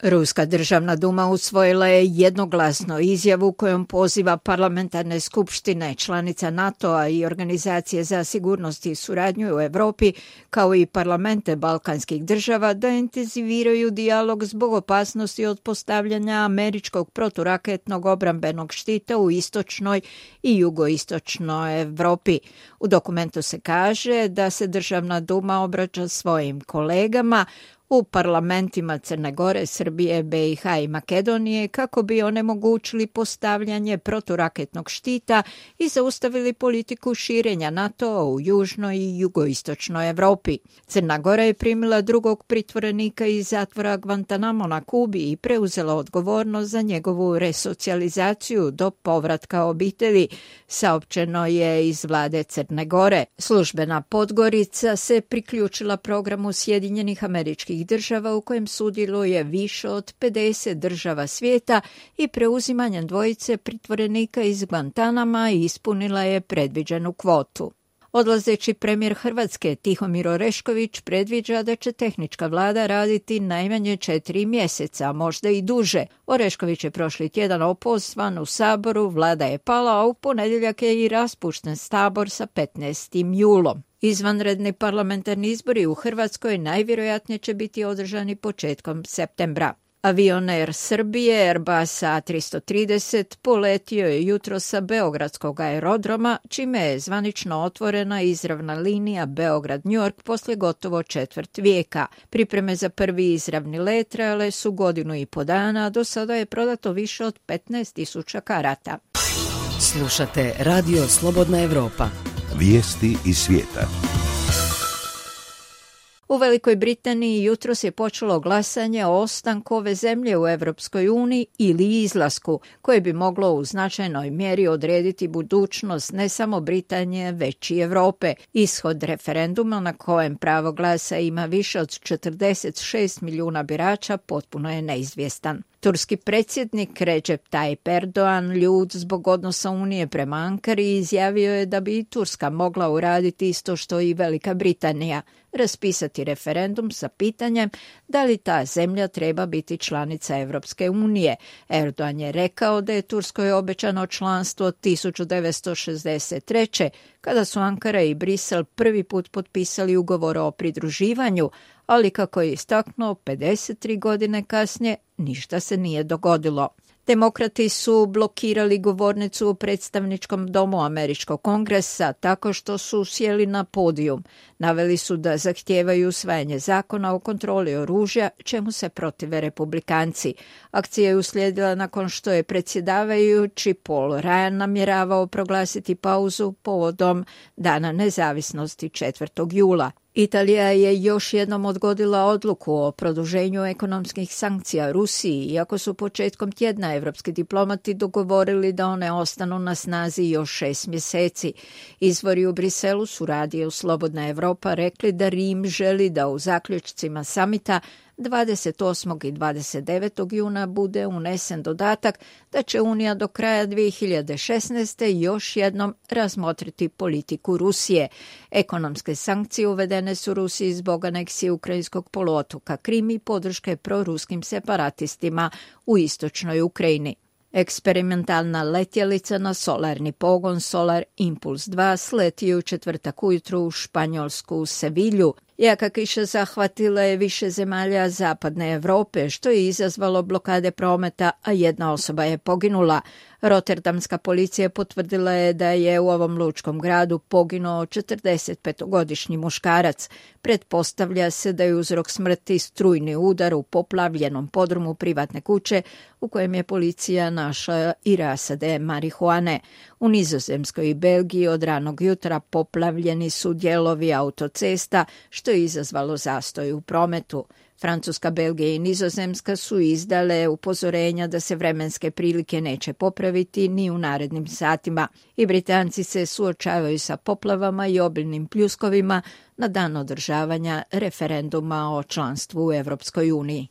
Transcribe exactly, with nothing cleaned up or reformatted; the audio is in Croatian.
Ruska državna duma usvojila je jednoglasno izjavu kojom poziva parlamentarne skupštine članica NATO-a i Organizacije za sigurnost i suradnju u Europi, kao i parlamente balkanskih država, da intenziviraju dijalog zbog opasnosti od postavljanja američkog proturaketnog obrambenog štita u istočnoj i jugoistočnoj Europi. U dokumentu se kaže da se državna duma obraća svojim kolegama u parlamentima Crne Gore, Srbije, be i ha i Makedonije kako bi onemogućili postavljanje proturaketnog štita i zaustavili politiku širenja NATO u južnoj i jugoistočnoj Europi. Crna Gora je primila drugog pritvorenika iz zatvora Guantanamo na Kubi i preuzela odgovornost za njegovu resocijalizaciju do povratka obitelji, saopćeno je iz vlade Crne Gore. Službena Podgorica se priključila programu Sjedinjenih Američkih država u kojem sudjeluje više od pedeset država svijeta i preuzimanjem dvojice pritvorenika iz Guantanama ispunila je predviđenu kvotu. Odlazeći premijer Hrvatske Tihomir Orešković predviđa da će tehnička vlada raditi najmanje četiri mjeseca, a možda i duže. Orešković je prošli tjedan opozvan u Saboru, vlada je pala, a u ponedjeljak je i raspušten Sabor sa petnaestim julom. Izvanredni parlamentarni izbori u Hrvatskoj najvjerojatnije će biti održani početkom septembra. Avion Air Srbije Airbus A tristo trideset poletio je jutro sa beogradskog aerodroma, čime je zvanično otvorena izravna linija Beograd-New York poslije gotovo četvrt vijeka. Pripreme za prvi izravni let trajale su godinu i po dana, a do sada je prodato više od petnaest tisuća karata. Slušate Radio Slobodna Evropa. Vijesti iz svijeta. U Velikoj Britaniji jutros je počelo glasanje o ostanku ove zemlje u Europskoj uniji ili izlasku, koje bi moglo u značajnoj mjeri odrediti budućnost ne samo Britanije, već i Europe. Ishod referenduma na kojem pravo glasa ima više od četrdeset šest milijuna birača potpuno je neizvjestan. Turski predsjednik Recep Tayyip Erdogan, ljut zbog odnosa Unije prema Ankari, izjavio je da bi i Turska mogla uraditi isto što i Velika Britanija, raspisati referendum sa pitanjem da li ta zemlja treba biti članica Europske unije. Erdogan je rekao da je Turskoj obećano članstvo od tisuću devetsto šezdeset treće kada su Ankara i Brisel prvi put potpisali ugovor o pridruživanju, ali kako je istaknuo, pedeset tri godine kasnije ništa se nije dogodilo. Demokrati su blokirali govornicu u predstavničkom domu Američkog kongresa tako što su sjeli na podijum. Naveli su da zahtijevaju usvajanje zakona o kontroli oružja, čemu se protive republikanci. Akcija je uslijedila nakon što je predsjedavajući Paul Ryan namjeravao proglasiti pauzu povodom Dana nezavisnosti četvrtog jula. Italija je još jednom odgodila odluku o produženju ekonomskih sankcija Rusiji, iako su početkom tjedna evropski diplomati dogovorili da one ostanu na snazi još šest mjeseci. Izvori u Briselu su radiju Slobodna Evropa rekli da Rim želi da u zaključcima samita dvadeset osmog i dvadeset devetog juna bude unesen dodatak da će Unija do kraja dvije hiljade šesnaeste. još jednom razmotriti politiku Rusije. Ekonomske sankcije uvedene su Rusiji zbog aneksije ukrajinskog poluotoka Krim i podrške proruskim separatistima u istočnoj Ukrajini. Eksperimentalna letjelica na solarni pogon Solar Impulse dva sleti u četvrtak ujutro u Španjolsku u Sevilju. Jaka kiša zahvatila je više zemalja zapadne Europe, što je izazvalo blokade prometa, a jedna osoba je poginula. Rotterdamska policija potvrdila je da je u ovom lučkom gradu poginuo četrdesetpetogodišnji muškarac. Pretpostavlja se da je uzrok smrti strujni udar u poplavljenom podrumu privatne kuće u kojem je policija našla i rasade marihuane. U Nizozemskoj i Belgiji od ranog jutra poplavljeni su dijelovi autocesta, što je izazvalo zastoj u prometu. Francuska, Belgija i Nizozemska su izdale upozorenja da se vremenske prilike neće popraviti ni u narednim satima i Britanci se suočavaju sa poplavama i obilnim pljuskovima na dan održavanja referenduma o članstvu u Europskoj uniji.